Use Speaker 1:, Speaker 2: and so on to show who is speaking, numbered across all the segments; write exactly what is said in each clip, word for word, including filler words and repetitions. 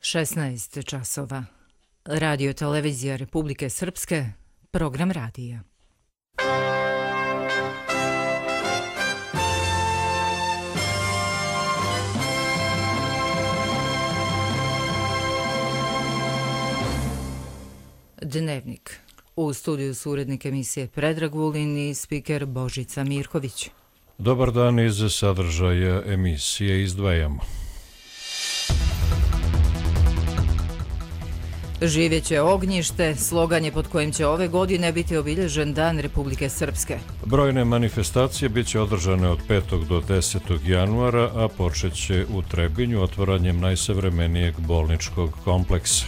Speaker 1: šesnaest časova. Radio televizija Republike Srpske, program radija. Dnevnik. U studiju su urednik emisije Predrag Vulin i spiker Božica Mirković.
Speaker 2: Dobar dan, iz sadržaja emisije izdvajamo.
Speaker 1: Živjeće ognjište, slogan je pod kojim će ove godine biti obilježen Dan Republike Srpske.
Speaker 2: Brojne manifestacije bit će održane od petog do desetog januara, a počeće u Trebinju otvaranjem najsavremenijeg bolničkog kompleksa.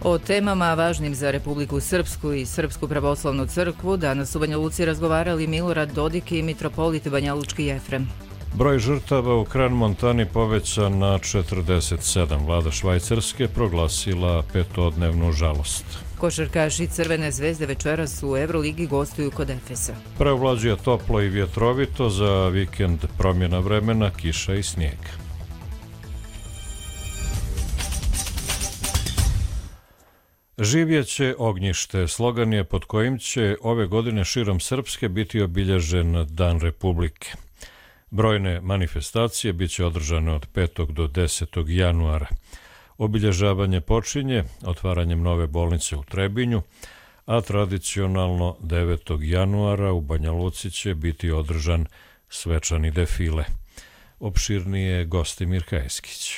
Speaker 1: O temama važnim za Republiku Srpsku i Srpsku pravoslavnu crkvu danas u Banja Luci razgovarali Milorad Dodik i mitropolit Banjalučki Jefrem.
Speaker 2: Broj žrtava u Kran-Montani povećan na četrdeset sedam. Vlada Švajcarske proglasila petodnevnu žalost.
Speaker 1: Košarkaši Crvene zvezde večeras u Euroligi gostuju kod Efesa.
Speaker 2: Preovlađuje toplo i vjetrovito, za vikend promjena vremena, kiša i snijeg. Živjeće ognjište, slogan je pod kojim će ove godine širom Srpske biti obilježen Dan Republike. Brojne manifestacije bit će održane od petog do desetog januara. Obilježavanje počinje otvaranjem nove bolnice u Trebinju, a tradicionalno devetog januara u Banja Luci će biti održan svečani defile. Opširnije Gostimir Kajeskić.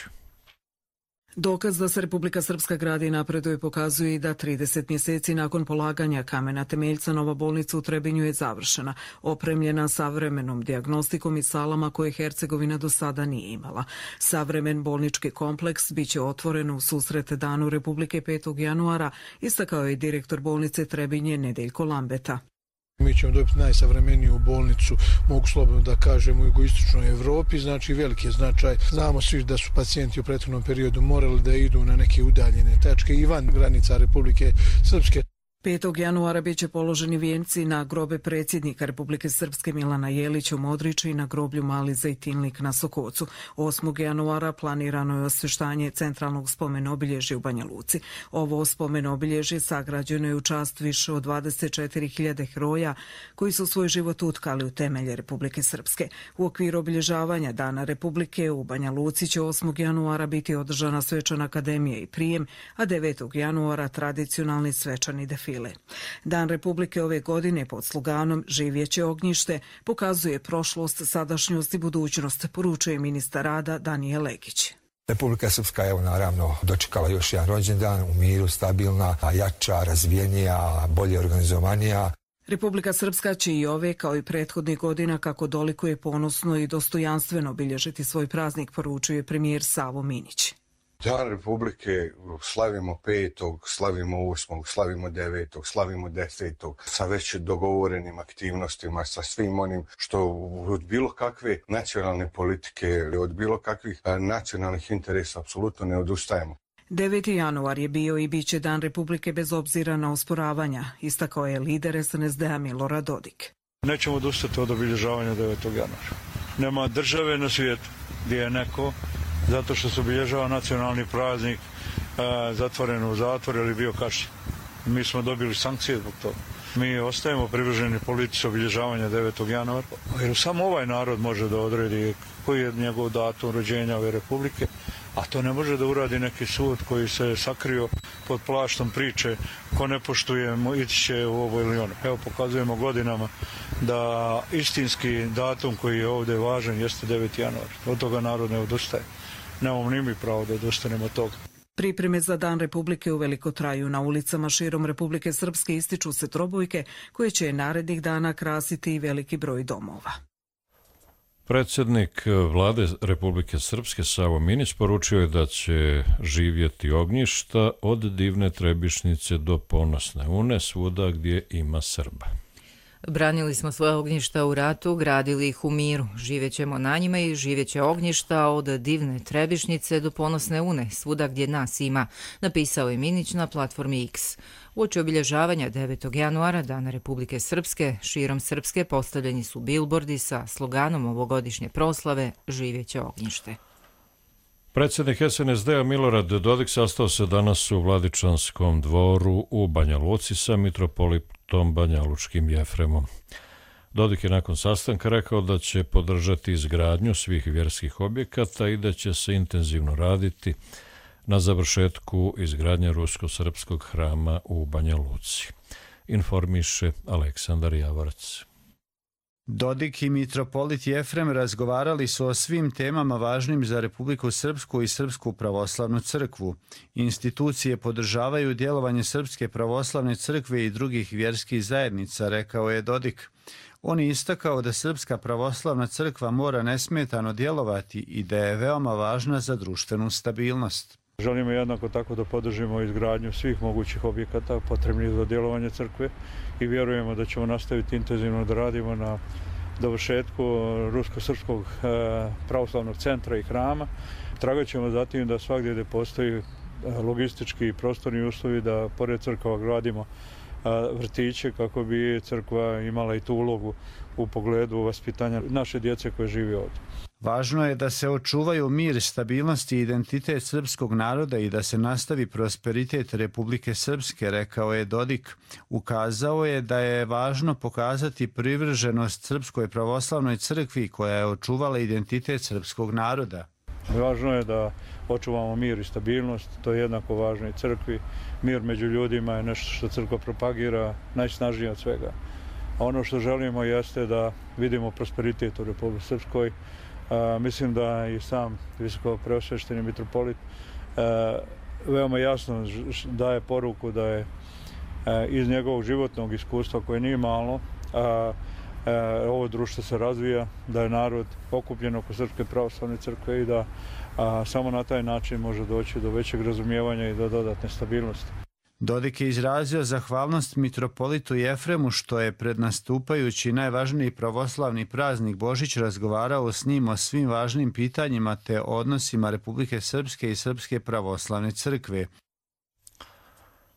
Speaker 3: Dokaz da se Republika Srpska gradi i napreduje pokazuje i da trideset mjeseci nakon polaganja kamena temeljca nova bolnica u Trebinju je završena, opremljena savremenom dijagnostikom i salama koje Hercegovina do sada nije imala. Savremen bolnički kompleks biće otvoren u susret Danu Republike petog januara, istakao je direktor bolnice Trebinje Nedeljko Lambeta.
Speaker 4: Mi ćemo dobiti najsavremeniju bolnicu, mogu slobodno da kažem, u jugoistočnoj Evropi, znači veliki je značaj. Znamo svi da su pacijenti u prethodnom periodu morali da idu na neke udaljene tačke i van granica Republike Srpske.
Speaker 3: petog januara biće položeni vijenci na grobe predsjednika Republike Srpske Milana Jelića u Modriču i na groblju Mali Zejtinlik na Sokocu. osmog januara planirano je osveštanje centralnog spomen obilježja u Banja Luci. Ovo spomen obilježje sagrađeno je u čast više od dvadeset četiri hiljade heroja koji su svoj život utkali u temelje Republike Srpske. U okviru obilježavanja Dana Republike u Banja Luci će osmog januara biti održana svečana akademija i prijem, a devetog januara tradicionalni svečani defil. Dan Republike ove godine pod sloganom Živjeće ognjište pokazuje prošlost, sadašnjost i budućnost, poručuje ministar rada Danijel Legić.
Speaker 5: Republika Srpska je naravno dočekala još jedan rođendan u miru, stabilna, jača, razvijenija, bolje organizovanija.
Speaker 3: Republika Srpska će i ove, kao i prethodnih godina, kako dolikuje ponosno i dostojanstveno obilježiti svoj praznik, poručuje premijer Savo Minić.
Speaker 6: Dan Republike slavimo petog, slavimo osmog, slavimo devetog, slavimo desetog, sa već dogovorenim aktivnostima, sa svim onim što od bilo kakve nacionalne politike, od bilo kakvih nacionalnih interesa apsolutno ne odustajemo.
Speaker 3: deveti januar je bio i bit će Dan Republike bez obzira na osporavanja, istakao je lider S N S D-a Milorad Dodik.
Speaker 7: Nećemo odustati od obilježavanja devetog januara. Nema države na svijetu gdje je neko zato što se obilježava nacionalni praznik e, zatvoren u zatvor ili bio kažnjen. Mi smo dobili sankcije zbog toga. Mi ostajemo privrženi politici obilježavanja devetog januara, jer samo ovaj narod može da odredi koji je njegov datum rođenja ove republike, a to ne može da uradi neki sud koji se sakrio pod plaštom priče ko ne poštuje, ići će u ovo ili ono. Evo, pokazujemo godinama da istinski datum koji je ovdje važan jeste deveti januar. Od toga narod ne odustaje. Nemamo ni mi pravo da odustanemo od toga.
Speaker 3: Pripreme za Dan Republike uveliko traju. Na ulicama širom Republike Srpske ističu se trobojke koje će narednih dana krasiti i veliki broj domova.
Speaker 2: Predsjednik Vlade Republike Srpske Savo Minić poručio je da će živjeti ognjišta od divne Trebišnice do ponosne Une, svuda gdje ima Srba.
Speaker 1: Branili smo svoje ognjišta u ratu, gradili ih u miru. Živjećemo na njima i živjeće ognjišta od divne Trebišnice do ponosne Une, svuda gdje nas ima, napisao je Minić na platformi X. Uoči obilježavanja devetog januara, Dana Republike Srpske, širom Srpske postavljeni su bilbordi sa sloganom ovogodišnje proslave Živjeće ognjište.
Speaker 2: Predsjednik S N S D-a Milorad Dodik sastao se danas u Vladičanskom dvoru u Banja Luci sa mitropolitom banjalučkim Jefremom. Dodik je nakon sastanka rekao da će podržati izgradnju svih vjerskih objekata i da će se intenzivno raditi na završetku izgradnje rusko-srpskog hrama u Banja Luci. Informiše Aleksandar Javorac.
Speaker 8: Dodik i mitropolit Jefrem razgovarali su o svim temama važnim za Republiku Srpsku i Srpsku pravoslavnu crkvu. Institucije podržavaju djelovanje Srpske pravoslavne crkve i drugih vjerskih zajednica, rekao je Dodik. On je istakao da Srpska pravoslavna crkva mora nesmetano djelovati i da je veoma važna za društvenu stabilnost.
Speaker 7: Želimo jednako tako da podržimo izgradnju svih mogućih objekata potrebnih za djelovanje crkve i vjerujemo da ćemo nastaviti intenzivno da radimo na dovršetku Rusko-srpskog pravoslavnog centra i hrama. Tragat ćemo zatim da svagdje gdje postoji logistički i prostorni uslovi da pored crkava gradimo vrtiće kako bi crkva imala i tu ulogu u pogledu vaspitanja naše djece koje živi ovdje.
Speaker 8: Važno je da se očuvaju mir, stabilnost i identitet srpskog naroda i da se nastavi prosperitet Republike Srpske, rekao je Dodik. Ukazao je da je važno pokazati privrženost Srpskoj pravoslavnoj crkvi koja je očuvala identitet srpskog naroda.
Speaker 7: Važno je da očuvamo mir i stabilnost, to je jednako važno i crkvi. Mir među ljudima je nešto što crkva propagira najsnažnije od svega. A ono što želimo jeste da vidimo prosperitet u Republici Srpskoj. A, mislim da i sam visoko preosvešteni mitropolit a, veoma jasno daje poruku da je a, iz njegovog životnog iskustva koje nije malo, a, a, ovo društvo se razvija, da je narod okupljen oko Srpske pravoslavne crkve i da a, samo na taj način može doći do većeg razumijevanja i do dodatne stabilnosti.
Speaker 8: Dodik je izrazio zahvalnost mitropolitu Jefremu što je pred nastupajući najvažniji pravoslavni praznik Božić razgovarao s njim o svim važnim pitanjima te odnosima Republike Srpske i Srpske pravoslavne crkve.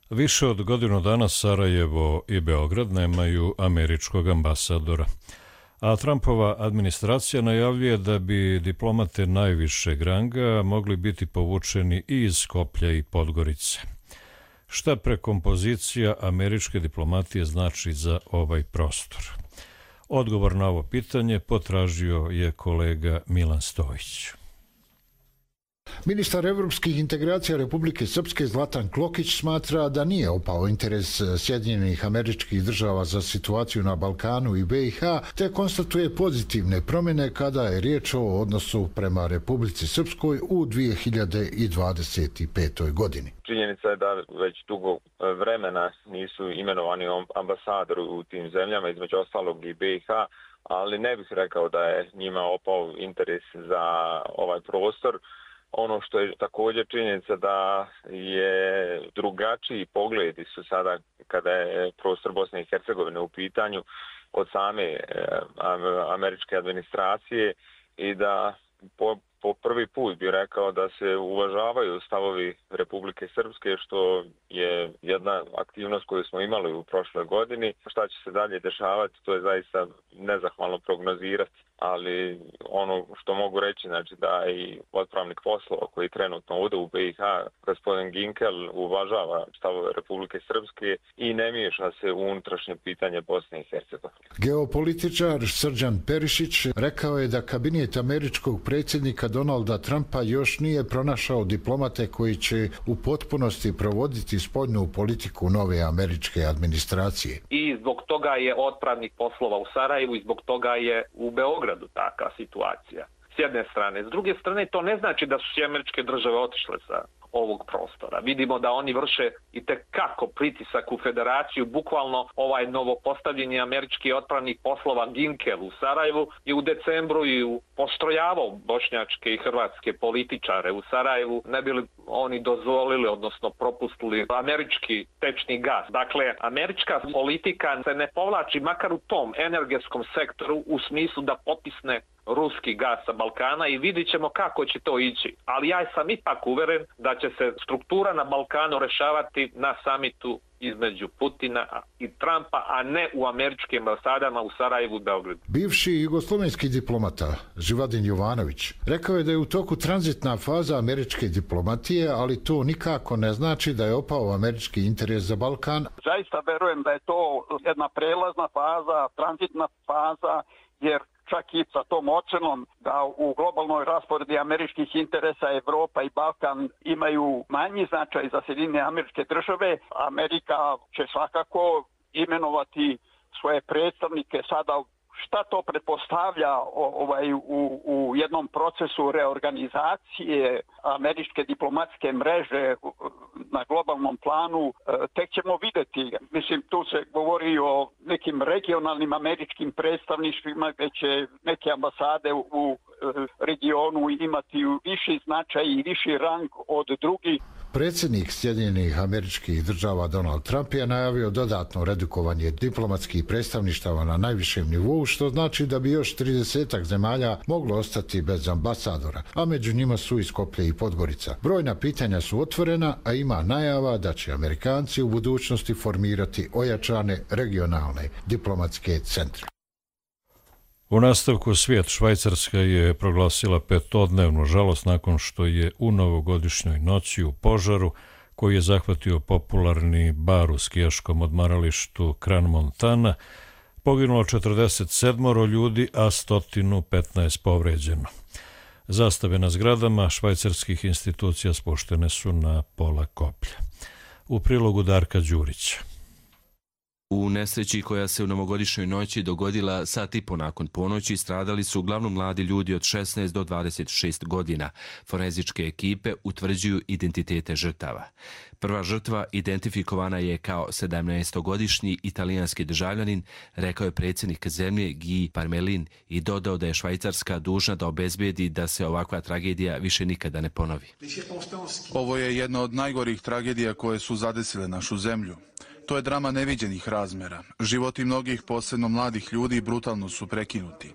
Speaker 2: Više od godinu dana Sarajevo i Beograd nemaju američkog ambasadora, a Trumpova administracija najavljuje da bi diplomate najvišeg ranga mogli biti povučeni i iz Skoplja i Podgorice. Šta prekompozicija američke diplomatije znači za ovaj prostor? Odgovor na ovo pitanje potražio je kolega Milan Stojić.
Speaker 9: Ministar evropskih integracija Republike Srpske Zlatan Klokić smatra da nije opao interes Sjedinjenih Američkih Država za situaciju na Balkanu i B i H, te konstatuje pozitivne promjene kada je riječ o odnosu prema Republici Srpskoj u dvije hiljade dvadeset petoj godini.
Speaker 10: Činjenica je da već dugo vremena nisu imenovani ambasadori u tim zemljama, između ostalog i B i H, ali ne bih rekao da je njima opao interes za ovaj prostor. Ono što je također činjenica da je drugačiji pogledi su sada kada je prostor Bosne i Hercegovine u pitanju od same američke administracije i da po, po prvi put bih rekao da se uvažavaju stavovi Republike Srpske, što je jedna aktivnost koju smo imali u prošloj godini. Šta će se dalje dešavati, to je zaista nezahvalno prognozirati. Ali ono što mogu reći, znači da i odpravnik poslova koji trenutno ovdje u B i H, gospodin Ginkel, uvažava stavove Republike Srpske i ne miješa se u unutrašnje pitanje Bosne i Hercegovine.
Speaker 9: Geopolitičar Srđan Perišić rekao je da kabinet američkog predsjednika Donalda Trumpa još nije pronašao diplomate koji će u potpunosti provoditi spoljnu politiku nove američke administracije.
Speaker 11: I zbog toga je odpravnik poslova u Sarajevu i zbog toga je u Beogradu takva situacija. S jedne strane. S druge strane, to ne znači da su sve američke države otišle sa ovog prostora. Vidimo da oni vrše i tekako pritisak u federaciju. Bukvalno ovaj novopostavljeni američki odpravnik poslova Ginkel u Sarajevu i u decembru i u postrojavao bošnjačke i hrvatske političare u Sarajevu, ne bili oni dozvolili, odnosno propustili američki tečni gas. Dakle, američka politika se ne povlači makar u tom energetskom sektoru u smislu da potisne ruski gas sa Balkana i vidit ćemo kako će to ići. Ali ja sam ipak uveren da će se struktura na Balkanu rešavati na samitu između Putina i Trumpa, a ne u američkim ambasadama u Sarajevu i Beogradu.
Speaker 9: Bivši jugoslovenski diplomata Živadin Jovanović rekao je da je u toku tranzitna faza američke diplomatije, ali to nikako ne znači da je opao američki interes za Balkan.
Speaker 12: Zaista verujem da je to jedna prelazna faza, tranzitna faza, jer čak i sa tom ocenom da u globalnoj rasporedi američkih interesa Evropa i Balkan imaju manji značaj za Sjedinjene Američke Države, Amerika će svakako imenovati svoje predstavnike sada. Šta to pretpostavlja ovaj, u, u jednom procesu reorganizacije američke diplomatske mreže na globalnom planu, tek ćemo vidjeti. Mislim, tu se govori o nekim regionalnim američkim predstavništvima gdje će neke ambasade u regionu imati viši značaj i viši rang od drugih.
Speaker 9: Predsjednik Sjedinjenih Američkih Država Donald Trump je najavio dodatno redukovanje diplomatskih predstavništava na najvišem nivou, što znači da bi još tridesetak zemalja moglo ostati bez ambasadora, a među njima su i Skoplje i Podgorica. Brojna pitanja su otvorena, a ima najava da će Amerikanci u budućnosti formirati ojačane regionalne diplomatske centre.
Speaker 2: U nastavku svijet, Švajcarska je proglasila petodnevnu žalost nakon što je u novogodišnjoj noći u požaru koji je zahvatio popularni bar u skijaškom odmaralištu Crans-Montana poginulo četrdeset sedam ljudi, a sto petnaest povređeno. Zastave na zgradama švajcarskih institucija spuštene su na pola koplja. U prilogu Darka Đurića.
Speaker 13: U nesreći koja se u novogodišnjoj noći dogodila sat i po nakon ponoći stradali su uglavnom mladi ljudi od šesnaest do dvadeset šest godina. Forenzičke ekipe utvrđuju identitete žrtava. Prva žrtva identifikovana je kao sedamnaestogodišnji italijanski državljanin, rekao je predsjednik zemlje Guy Parmelin i dodao da je Švajcarska dužna da obezbedi da se ovakva tragedija više nikada ne ponovi.
Speaker 14: Ovo je jedna od najgorih tragedija koje su zadesile našu zemlju. To je drama neviđenih razmjera. Životi mnogih, posebno mladih ljudi, brutalno su prekinuti.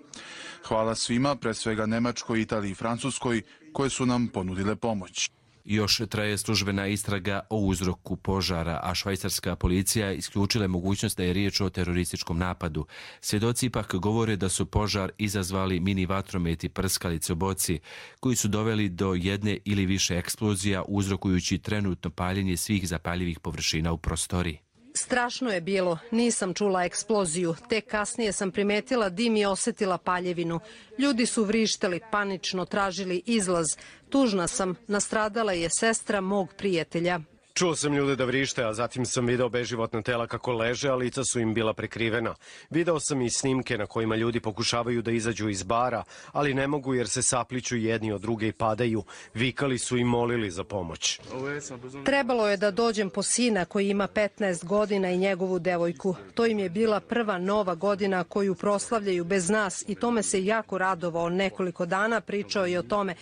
Speaker 14: Hvala svima, pre svega Nemačkoj, Italiji i Francuskoj, koje su nam ponudile pomoć.
Speaker 13: Još traje službena istraga o uzroku požara, a švajcarska policija isključila mogućnost da je riječ o terorističkom napadu. Svjedoci ipak govore da su požar izazvali mini vatrometi prskalice u boci, koji su doveli do jedne ili više eksplozija, uzrokujući trenutno paljenje svih zapaljivih površina u prostoriji.
Speaker 15: Strašno je bilo, nisam čula eksploziju, tek kasnije sam primetila dim i osjetila paljevinu. Ljudi su vrištali, panično tražili izlaz. Tužna sam, nastradala je sestra mog prijatelja.
Speaker 16: Čuo sam ljude da vrište, a zatim sam video beživotna tela kako leže, a lica su im bila prekrivena. Video sam i snimke na kojima ljudi pokušavaju da izađu iz bara, ali ne mogu jer se sapliću jedni od druge i padaju. Vikali su i molili za pomoć.
Speaker 15: Trebalo je da dođem po sina koji ima petnaest godina i njegovu devojku. To im je bila prva nova godina koju proslavljaju bez nas i tome se jako radovao. Nekoliko dana pričao je o tome.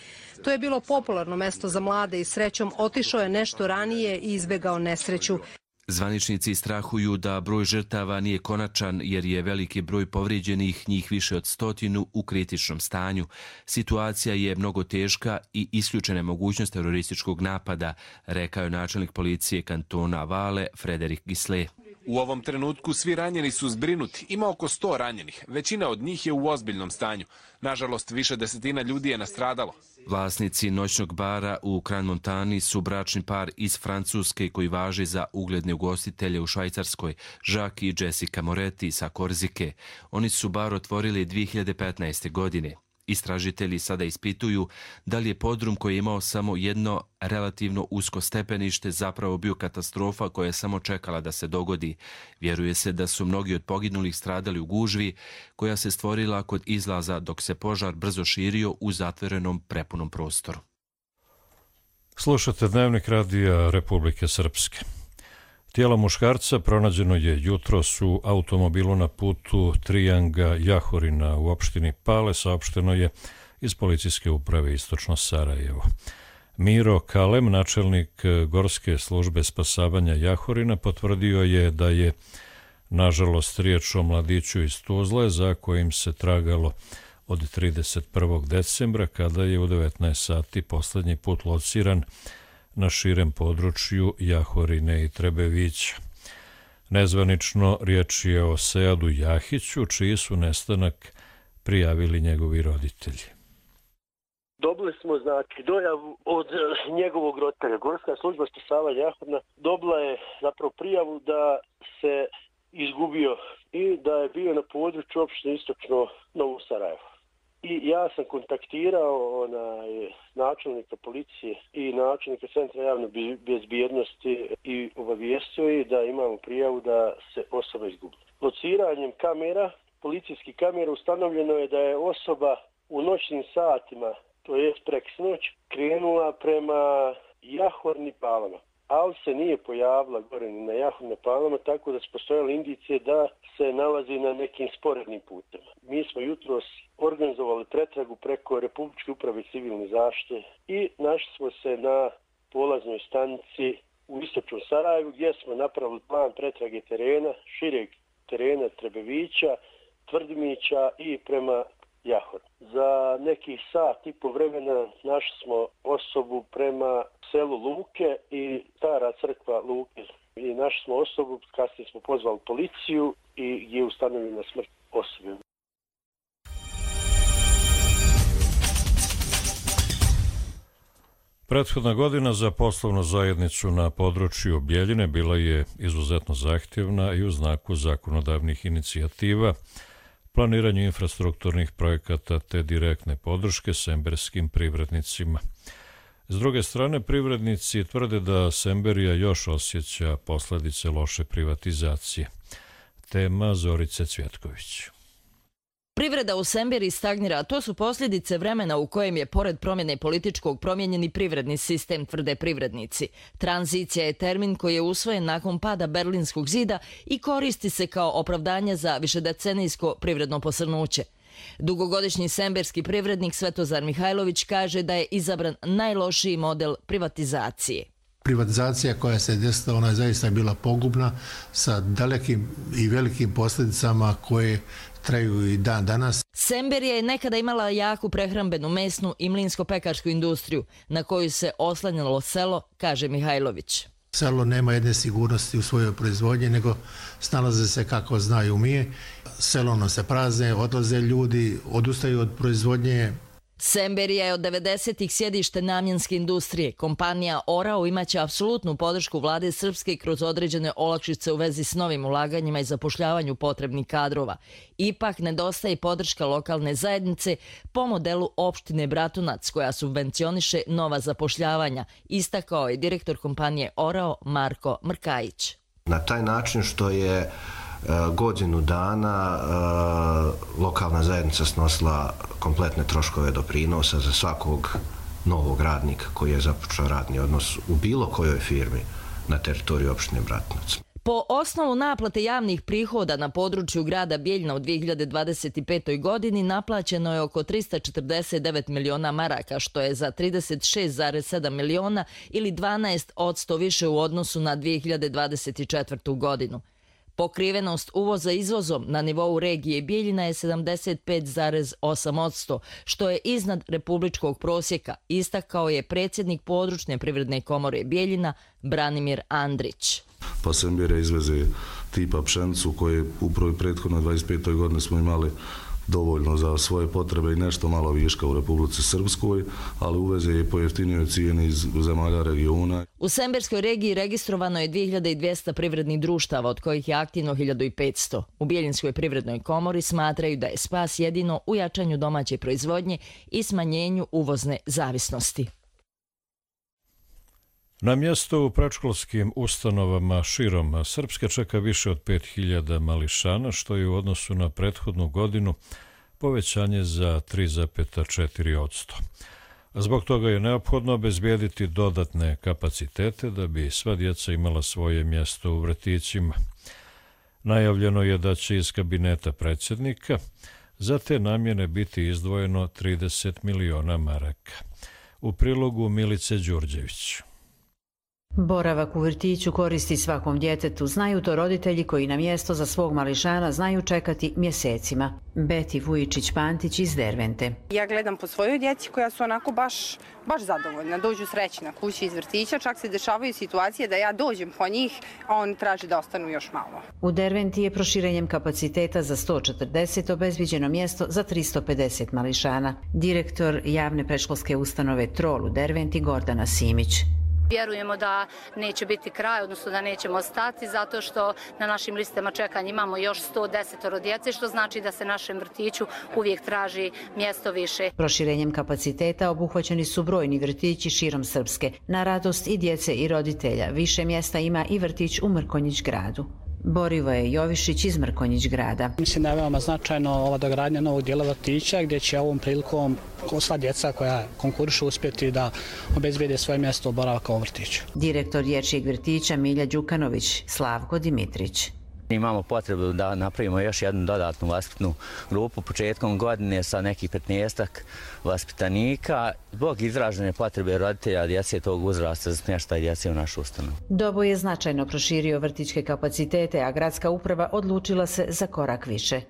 Speaker 15: To je bilo popularno mesto za mlade i srećom otišao je nešto ranije i izbegao nesreću.
Speaker 13: Zvaničnici strahuju da broj žrtava nije konačan jer je veliki broj povrijeđenih, njih više od stotinu, u kritičnom stanju. Situacija je mnogo teška i isključena mogućnost terorističkog napada, rekao je načelnik policije kantona Vale Frederik Gisle.
Speaker 17: U ovom trenutku svi ranjeni su zbrinuti. Ima oko sto ranjenih. Većina od njih je u ozbiljnom stanju. Nažalost, više desetina ljudi je nastradalo.
Speaker 13: Vlasnici noćnog bara u Crans-Montani su bračni par iz Francuske koji važi za ugledne ugostitelje u Švajcarskoj, Jacques i Jessica Moretti sa Korzike. Oni su bar otvorili dvije hiljade petnaeste. godine. Istražitelji sada ispituju da li je podrum koji je imao samo jedno relativno usko stepenište zapravo bio katastrofa koja je samo čekala da se dogodi. Vjeruje se da su mnogi od poginulih stradali u gužvi koja se stvorila kod izlaza dok se požar brzo širio u zatvorenom prepunom prostoru.
Speaker 2: Slušate Dnevnik radija Republike Srpske. Tijelo muškarca pronađeno je jutros u automobilu na putu Trijanga Jahorina u opštini Pale, saopšteno je iz policijske uprave Istočno Sarajevo. Miro Kalem, načelnik Gorske službe spasavanja Jahorina, potvrdio je da je nažalost riječ o mladiću iz Tuzle za kojim se tragalo od trideset prvog decembra kada je u devetnaest sati posljednji put lociran na širem području Jahorine i Trebevića. Nezvanično riječ je o Seadu Jahiću, čiji su nestanak prijavili njegovi roditelji.
Speaker 18: Dobili smo znači dojavu od njegovog roditelja. Gorska služba spasavanja Jahodna dobila je zapravo prijavu da se izgubio i da je bio na području opštine Istočno Novo Sarajevo. I ja sam kontaktirao onaj načelnika policije i načelnika Centra javne bezbjednosti i obavijestio je da imamo prijavu da se osoba izgubila. Lociranjem kamera, policijskih kamera, ustanovljeno je da je osoba u noćnim satima, to je preksnoć, krenula prema Jahorni Palama, ali se nije pojavila gore ni na Jahorni Palama, tako da su postojale indicije da se nalazi na nekim sporednim putem. Mi smo jutros organizovali pretragu preko Republičke uprave civilne zaštite i našli smo se na polaznoj stanici u Istočnom Sarajevu, gdje smo napravili plan pretrage terena, šireg terena Trebevića, Tvrdimića i prema Jahor. Za nekih sat i po vremena našli smo osobu prema selu Luke i Stara crkva Luke. I našli smo osobu, kasnije smo pozvali policiju i gdje je ustanovljena smrt osobe.
Speaker 2: Prethodna godina za poslovnu zajednicu na području Bjeljine bila je izuzetno zahtjevna i u znaku zakonodavnih inicijativa, planiranju infrastrukturnih projekata te direktne podrške semberskim privrednicima. S druge strane, privrednici tvrde da Semberija još osjeća posljedice loše privatizacije. Tema Zorice Cvjetković.
Speaker 19: Privreda u Semberiji stagnira, a to su posljedice vremena u kojem je, pored promjene političkog, promijenjeni privredni sistem, tvrde privrednici. Tranzicija je termin koji je usvojen nakon pada Berlinskog zida i koristi se kao opravdanje za višedecenijsko privredno posrnuće. Dugogodišnji semberski privrednik Svetozar Mihajlović kaže da je izabran najlošiji model privatizacije.
Speaker 20: Privatizacija koja se desila, ona je zaista bila pogubna sa dalekim i velikim posljedicama koje traju i dan danas.
Speaker 19: Semberija je nekada imala jaku prehrambenu, mesnu i mlinsko-pekarsku industriju na koju se oslanjalo selo, kaže Mihajlović.
Speaker 20: Selo nema jedne sigurnosti u svojoj proizvodnji, nego snalaze se kako znaju umije. Selo nam se prazne, odlaze ljudi, odustaju od proizvodnje.
Speaker 19: Semberija je od devedesetih sjedište namjenske industrije. Kompanija Orao imaće apsolutnu podršku vlade Srpske kroz određene olakšice u vezi s novim ulaganjima i zapošljavanju potrebnih kadrova. Ipak nedostaje podrška lokalne zajednice po modelu opštine Bratunac, koja subvencioniše nova zapošljavanja, istakao je direktor kompanije Orao Marko Mrkajić.
Speaker 21: Na taj način što je godinu dana lokalna zajednica snosila kompletne troškove doprinosa za svakog novog radnika koji je započeo radni odnos u bilo kojoj firmi na teritoriju opštine Bratunac.
Speaker 19: Po osnovu naplate javnih prihoda na području grada Bjeljina u dvije hiljade dvadeset petoj. godini naplaćeno je oko trista četrdeset devet miliona maraka, što je za trideset šest zarez sedam miliona ili dvanaest posto više u odnosu na dvije hiljade dvadeset četvrtu. godinu. Pokrivenost uvoza izvozom na nivou regije Bjeljina je sedamdeset pet zarez osam posto, što je iznad republičkog prosjeka, istakao je predsjednik područne privredne komore Bjeljina Branimir Andrić.
Speaker 22: Pa Semberija izveze tipa pšenicu koje upravo i prethodno dvadeset petoj. godine smo imali dovoljno za svoje potrebe i nešto malo viška u Republici Srpskoj, ali uveze je po jeftinijoj cijeni iz zemalja regiona.
Speaker 19: U Semberskoj regiji registrovano je dvije hiljade dvjesto privrednih društava, od kojih je aktivno hiljadu petsto. U Bjeljinskoj privrednoj komori smatraju da je spas jedino u jačanju domaće proizvodnje i smanjenju uvozne zavisnosti.
Speaker 2: Na mjesto u predškolskim ustanovama širom Srpske čeka više od pet hiljada mališana, što je u odnosu na prethodnu godinu povećanje za tri zarez četiri posto. Zbog toga je neophodno obezbijediti dodatne kapacitete da bi sva djeca imala svoje mjesto u vrtićima. Najavljeno je da će iz kabineta predsjednika za te namjene biti izdvojeno trideset miliona maraka. U prilogu Milice Đurđević.
Speaker 4: Boravak u vrtiću koristi svakom djetetu, znaju to roditelji koji na mjesto za svog mališana znaju čekati mjesecima. Beti Vujičić-Pantić iz Dervente.
Speaker 5: Ja gledam po svojoj djeci koja su onako baš, baš zadovoljna, dođu srećna kući iz vrtića, čak se dešavaju situacije da ja dođem po njih, a oni traže da ostanu još malo.
Speaker 4: U Derventi je proširenjem kapaciteta za sto četrdeset obezbiđeno mjesto za tristo pedeset mališana. Direktor javne predškolske ustanove Trol u Derventi Gordana Simić.
Speaker 23: Vjerujemo da neće biti kraj, odnosno da nećemo stati, zato što na našim listama čekanja imamo još sto deset djece, što znači da se našem vrtiću uvijek traži mjesto više.
Speaker 4: Proširenjem kapaciteta obuhvaćeni su brojni vrtići širom Srpske. Na radost i djece i roditelja više mjesta ima i vrtić u Mrkonjić gradu. Borivoje Jovišić iz Mrkonjić grada.
Speaker 24: Mislim da je veoma značajno ova dogradnja novog dijela vrtića gdje će ovom prilikom sva djeca koja konkurišu uspjeti da obezbijede svoje mjesto boravka u vrtiću.
Speaker 4: Direktor dječjeg vrtića Milja Đukanović, Slavko Dimitrić.
Speaker 25: Imamo potrebu da napravimo još jednu dodatnu vaspitnu grupu početkom godine sa nekih petnaestak vaspitanika zbog izražene potrebe roditelja djece tog uzrasta za smještaj djece u našu ustanovu.
Speaker 4: Doboj je značajno proširio vrtićke kapacitete, a gradska uprava odlučila se za korak više.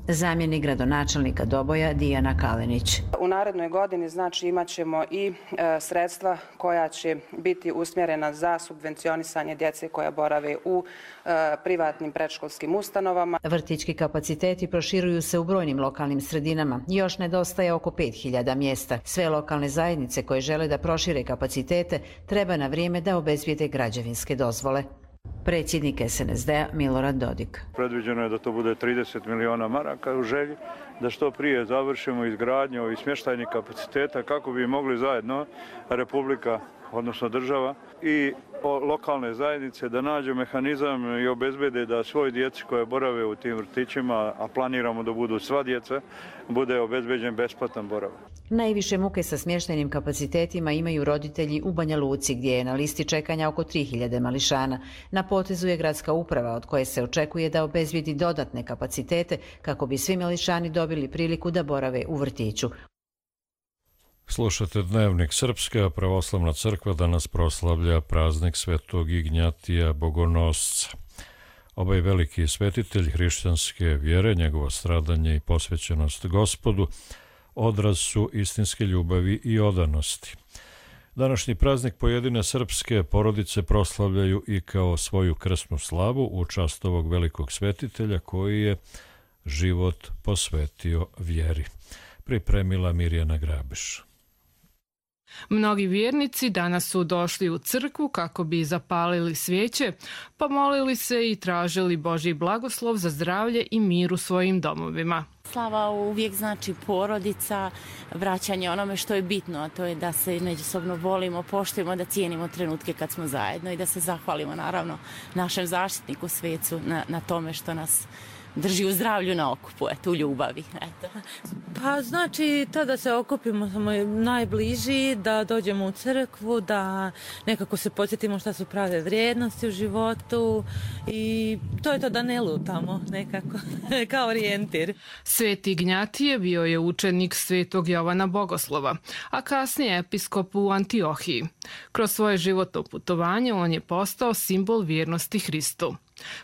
Speaker 4: Zamjenik gradonačelnika Doboja Dijana Kalenić.
Speaker 5: U narednoj godini znači imat ćemo i e, sredstva koja će biti usmjerena za subvencionisanje djece koja borave u e, privatnim predškolskim ustanovama.
Speaker 4: Vrtićki kapaciteti proširuju se u brojnim lokalnim sredinama. Još nedostaje oko pet hiljada mjesta. Sve lokalne zajednice koje žele da prošire kapacitete treba na vrijeme da obezbijede građevinske dozvole. Predsjednik S N S D-a Milorad Dodik.
Speaker 7: Predviđeno je da to bude trideset miliona maraka u želji, da što prije završimo izgradnju ovih smještajnih kapaciteta kako bi mogli zajedno Republika, odnosno država i lokalne zajednice da nađu mehanizam i obezbede da svoj djeci koje borave u tim vrtićima, a planiramo da budu sva djeca, bude obezbeđen besplatan boravak.
Speaker 4: Najviše muke sa smještajnim kapacitetima imaju roditelji u Banja Luci, gdje je na listi čekanja oko tri hiljade mališana. Na potezu je gradska uprava, od koje se očekuje da obezbijedi dodatne kapacitete kako bi svi mališani dobili priliku da borave u vrtiću.
Speaker 2: Slušate Dnevnik Srpske, a Pravoslavna crkva danas proslavlja praznik Svetog Ignjatija Bogonosca. Ovaj veliki svetitelj hrišćanske vjere, njegovo stradanje i posvećenost Gospodu odraz su istinske ljubavi i odanosti. Današnji praznik pojedine srpske porodice proslavljaju i kao svoju krsnu slavu u čast ovog velikog svetitelja koji je život posvetio vjeri. Pripremila Mirjana Grabiš.
Speaker 26: Mnogi vjernici danas su došli u crkvu kako bi zapalili svijeće, pomolili se i tražili Božji blagoslov za zdravlje i mir u svojim domovima.
Speaker 27: Slava uvijek znači porodica, vraćanje onome što je bitno, a to je da se međusobno volimo, poštujemo, da cijenimo trenutke kad smo zajedno i da se zahvalimo naravno našem zaštitniku svecu na, na tome što nas drži u zdravlju na okupu, eto, u ljubavi. Eto.
Speaker 28: Pa znači to da se okupimo samo najbliži, da dođemo u crkvu, da nekako se podsjetimo šta su prave vrijednosti u životu i to je to, da ne lutamo nekako, kao orijentir.
Speaker 26: Sveti Ignjatije bio je učenik svetog Jovana Bogoslova, a kasnije episkop u Antiohiji. Kroz svoje životno putovanje on je postao simbol vjernosti Hristu.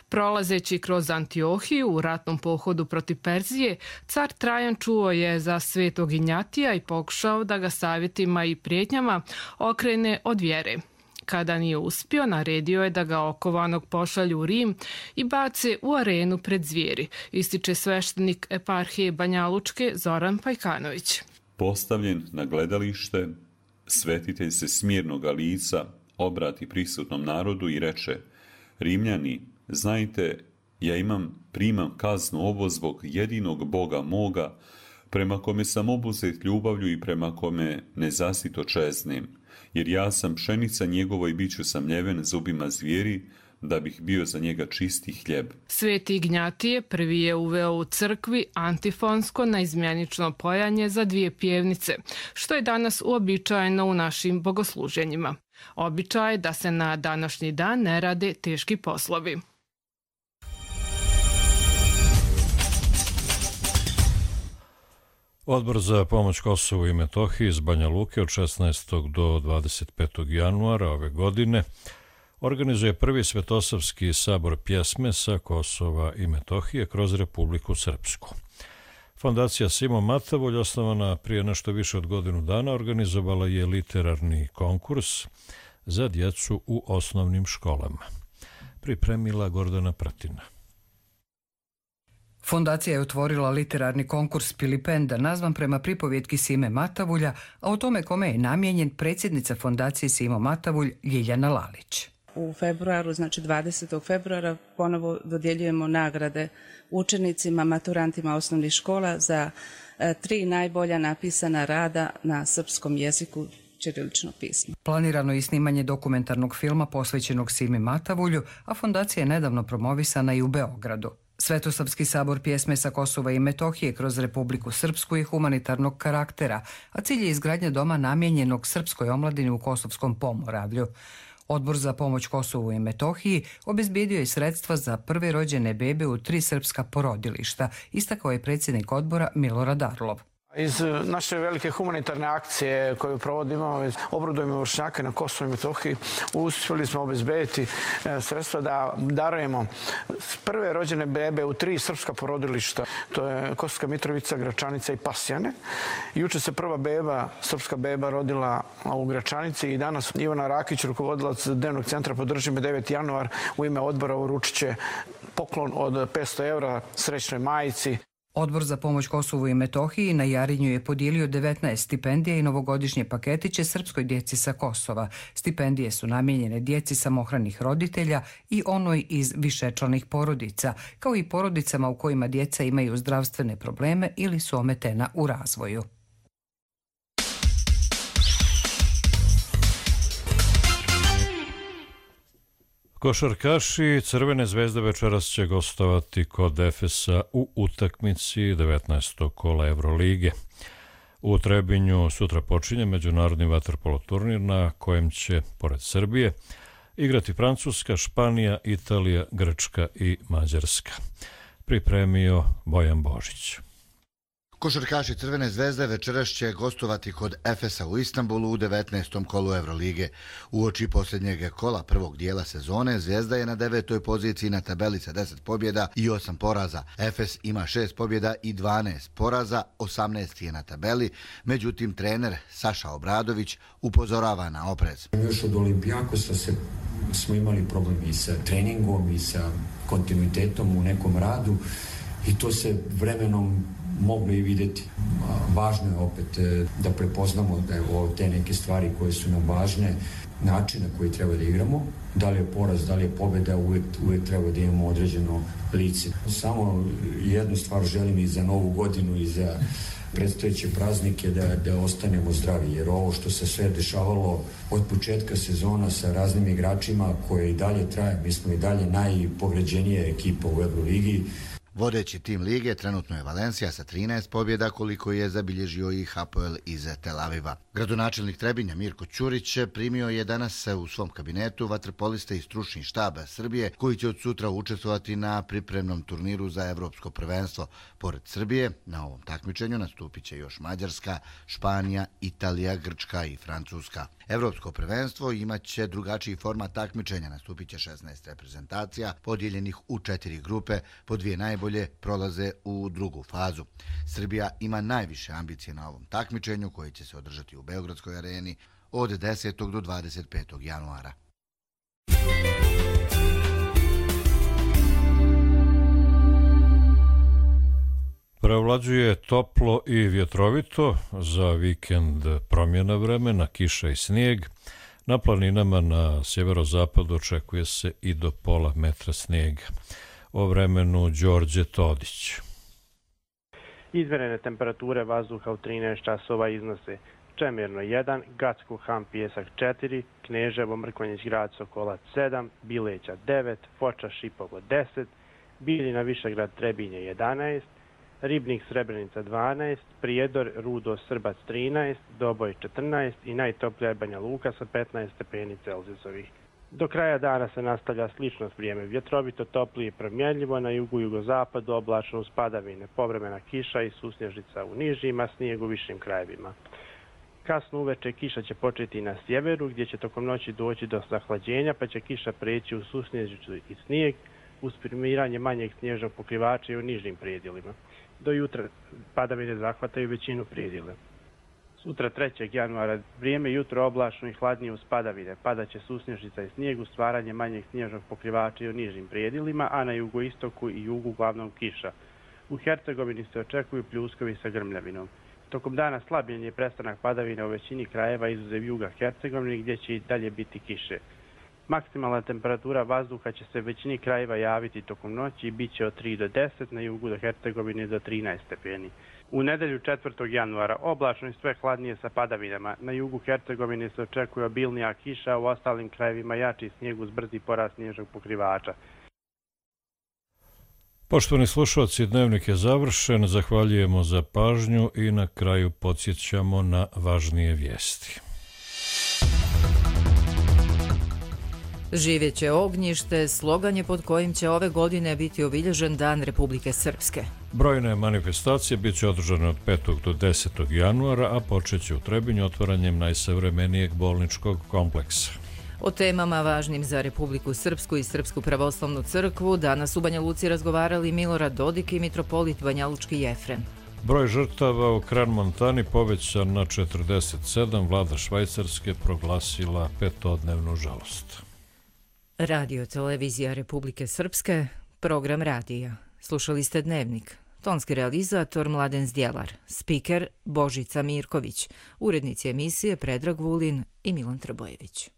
Speaker 26: Prolazeći kroz Antiohiju u ratnom pohodu protiv Perzije, car Trajan čuo je za svetog Ignjatija i pokušao da ga savjetima i prijetnjama okrene od vjere. Kada nije uspio, naredio je da ga okovanog pošalju u Rim i bace u arenu pred zvijeri, ističe sveštenik eparhije Banja Lučke Zoran Pajkanović.
Speaker 29: Postavljen na gledalište, svetitelj se smirnoga lica obrati prisutnom narodu i reče: Rimljani, znajte, ja imam, primam kaznu ovo zbog jedinog Boga moga, prema kome sam obuzet ljubavlju i prema kome nezasito čeznem, jer ja sam pšenica njegova i bit ću samljeven zubima zvijeri, da bih bio za njega čisti hljeb.
Speaker 26: Sveti Ignjatije prvi je uveo u crkvi antifonsko naizmjenično pojanje za dvije pjevnice, što je danas uobičajeno u našim bogosluženjima. Običaj je da se na današnji dan ne rade teški poslovi.
Speaker 2: Odbor za pomoć Kosovu i Metohiji iz Banja Luke od šesnaestog do dvadeset petog januara ove godine organizuje prvi Svetosavski sabor pjesme sa Kosova i Metohije kroz Republiku Srpsku. Fondacija Simo Matavulj, osnovana prije nešto više od godinu dana, organizovala je literarni konkurs za djecu u osnovnim školama. Pripremila Gordana Pratina.
Speaker 1: Fondacija je otvorila literarni konkurs Pilipenda, nazvan prema pripovjetki Sime Matavulja, a o tome kome je namijenjen predsjednica Fondacije Simo Matavulj Ljiljana Lalić.
Speaker 3: U februaru, znači dvadesetog februara, ponovo dodjeljujemo nagrade učenicima, maturantima osnovnih škola za e, tri najbolja napisana rada na srpskom jeziku, ćirilično pismo.
Speaker 1: Planirano je i snimanje dokumentarnog filma posvećenog Simi Matavulju, a fondacija je nedavno promovisana i u Beogradu. Svetosavski sabor pjesme sa Kosova i Metohije kroz Republiku Srpsku je humanitarnog karaktera, a cilj je izgradnja doma namijenjenog srpskoj omladini u Kosovskom Pomoravlju. Odbor za pomoć Kosovu i Metohiji obezbijedio je sredstva za prve rođene bebe u tri srpska porodilišta, istakao je predsjednik odbora Milorad Arlov.
Speaker 6: Iz naše velike humanitarne akcije koju provodimo, obradujemo vršnjake na Kosovu i Metohiji, uspjeli smo obezbediti sredstva da darujemo prve rođene bebe u tri srpska porodilišta. To je Kosovska Mitrovica, Gračanica i Pasjane. Juče se prva beba, srpska beba, rodila u Gračanici i danas Ivana Rakić, rukovodilac Dnevnog centra Podrži me deveti januar, u ime odbora uručit će poklon od petsto evra srećnoj majici.
Speaker 1: Odbor za pomoć Kosovu i Metohiji na Jarinju je podijelio devetnaest stipendija i novogodišnje paketiće srpskoj djeci sa Kosova. Stipendije su namijenjene djeci samohranih roditelja i onoj iz višečlanih porodica, kao i porodicama u kojima djeca imaju zdravstvene probleme ili su ometena u razvoju.
Speaker 2: Košarkaši Crvene zvezde večeras će gostovati kod Efesa u utakmici devetnaestog kola Evrolige. U Trebinju sutra počinje međunarodni vaterpolo turnir na kojem će, pored Srbije, igrati Francuska, Španija, Italija, Grčka i Mađarska. Pripremio Bojan Božić.
Speaker 8: Košarkaši Crvene zvezde večeras će gostovati kod Efesa u Istanbulu u devetnaestom kolu Evrolige. Uoči posljednjeg kola prvog dijela sezone, Zvezda je na devetoj poziciji na tabeli sa deset pobjeda i osam poraza. Efes ima šest pobjeda i dvanaest poraza, osamnaesti je na tabeli. Međutim, trener Saša Obradović upozorava na oprez.
Speaker 9: Još od Olimpijakosa se, smo imali problem i sa treningom i sa kontinuitetom u nekom radu i to se vremenom mogli i vidjeti. Važno je opet da prepoznamo da je ovo te neke stvari koje su nam važne, način na koji treba da igramo, da li je poraz, da li je pobjeda, uvijek, uvijek treba da imamo određeno lice. Samo jednu stvar želim i za novu godinu i za predstojeće praznike da, da ostanemo zdravi, jer ovo što se sve dešavalo od početka sezona sa raznim igračima koje i dalje traje, mi smo i dalje najpovređenija ekipa u Euroligi.
Speaker 8: Vodeći tim lige trenutno je Valencija sa trinaest pobjeda, koliko je zabilježio i Hapoel iz Tel Aviva. Gradonačelnik Trebinja Mirko Ćurić primio je danas u svom kabinetu vaterpoliste i stručni štab Srbije, koji će od sutra učestvovati na pripremnom turniru za evropsko prvenstvo. Pored Srbije, na ovom takmičenju nastupit će još Mađarska, Španija, Italija, Grčka i Francuska. Evropsko prvenstvo imaće drugačiji format takmičenja, nastupit će šesnaest reprezentacija, podijeljenih u četiri grupe, po dvije najbolje prolaze u drugu fazu. Srbija ima najviše ambicije na ovom takmičenju, koji će se održati u Beogradskoj areni od desetog do dvadeset petog januara.
Speaker 2: Prevlađuje toplo i vjetrovito, za vikend promjena vremena, kiša i snijeg. Na planinama na sjeverozapadu očekuje se i do pola metra snijega. O vremenu Đorđe Todić.
Speaker 10: Izmjerene temperature vazduha u trinaest časova iznose Čemirno jedan, Gacko Han Pjesak četiri, Kneževo Mrkonjić Grad Sokolac sedam, Bileća devet, Foča Šipovo deset, Biljina Višegrad Trebinje jedanaest, Ribnik Srebrenica dvanaest, Prijedor Rudo Srbac trinaest, Doboj četrnaest i najtoplija je Banja Luka sa petnaest stepeni Celzijusovih. Do kraja dana se nastavlja slično vrijeme, vjetrovito, toplije i promjenljivo, na jugu i jugozapadu oblačno uz padavine, povremena kiša i susnježica u nižima, snijeg u višim krajevima. Kasno uveče kiša će početi na sjeveru, gdje će tokom noći doći do zahlađenja, pa će kiša preći u susnježicu i snijeg uz primiranje manjeg snježnog pokrivača i u nižim predjelima. Do jutra padavine zahvataju većinu predjela. Sutra trećeg januara vrijeme jutro oblačno i hladnije uz padavine. Padaće susnježica i snijeg uz stvaranje manjeg snježnog pokrivača i u nižim predjelima, a na jugoistoku i jugu uglavnom kiša. U Hercegovini se očekuju pljuskovi sa grmljavinom. Tokom dana slabljen je prestanak padavina u većini krajeva izuzev juga Hercegovine gdje će i dalje biti kiše. Maksimalna temperatura vazduha će se većini krajeva javiti tokom noći i bit će od tri do deset, na jugu do Hercegovine do trinaest stepeni. U nedelju četvrtog januara oblačno i sve hladnije sa padavinama. Na jugu Hercegovine se očekuje obilnija kiša, a u ostalim krajevima jači snijeg uz brzi porast snježnog pokrivača.
Speaker 2: Poštovani slušalci, dnevnik je završen, zahvaljujemo za pažnju i na kraju podsjećamo na važnije vijesti.
Speaker 11: Živjeće ognjište, slogan je pod kojim će ove godine biti obilježen Dan Republike Srpske.
Speaker 2: Brojne manifestacije bit će održane od petog do desetog januara, a počet će u Trebinju otvaranjem najsavremenijeg bolničkog kompleksa.
Speaker 11: O temama važnim za Republiku Srpsku i Srpsku pravoslavnu crkvu danas u Banja Luci razgovarali Milorad Dodik i mitropolit Banjalučki Jefrem.
Speaker 2: Broj žrtava u Kran Montani povećan na četrdeset sedam, vlada Švajcarske proglasila petodnevnu žalost.
Speaker 11: Radio televizija Republike Srpske, program radija. Slušali ste Dnevnik. Tonski realizator Mladen Zdjelar, spiker Božica Mirković, urednici emisije Predrag Vulin i Milan Trbojević.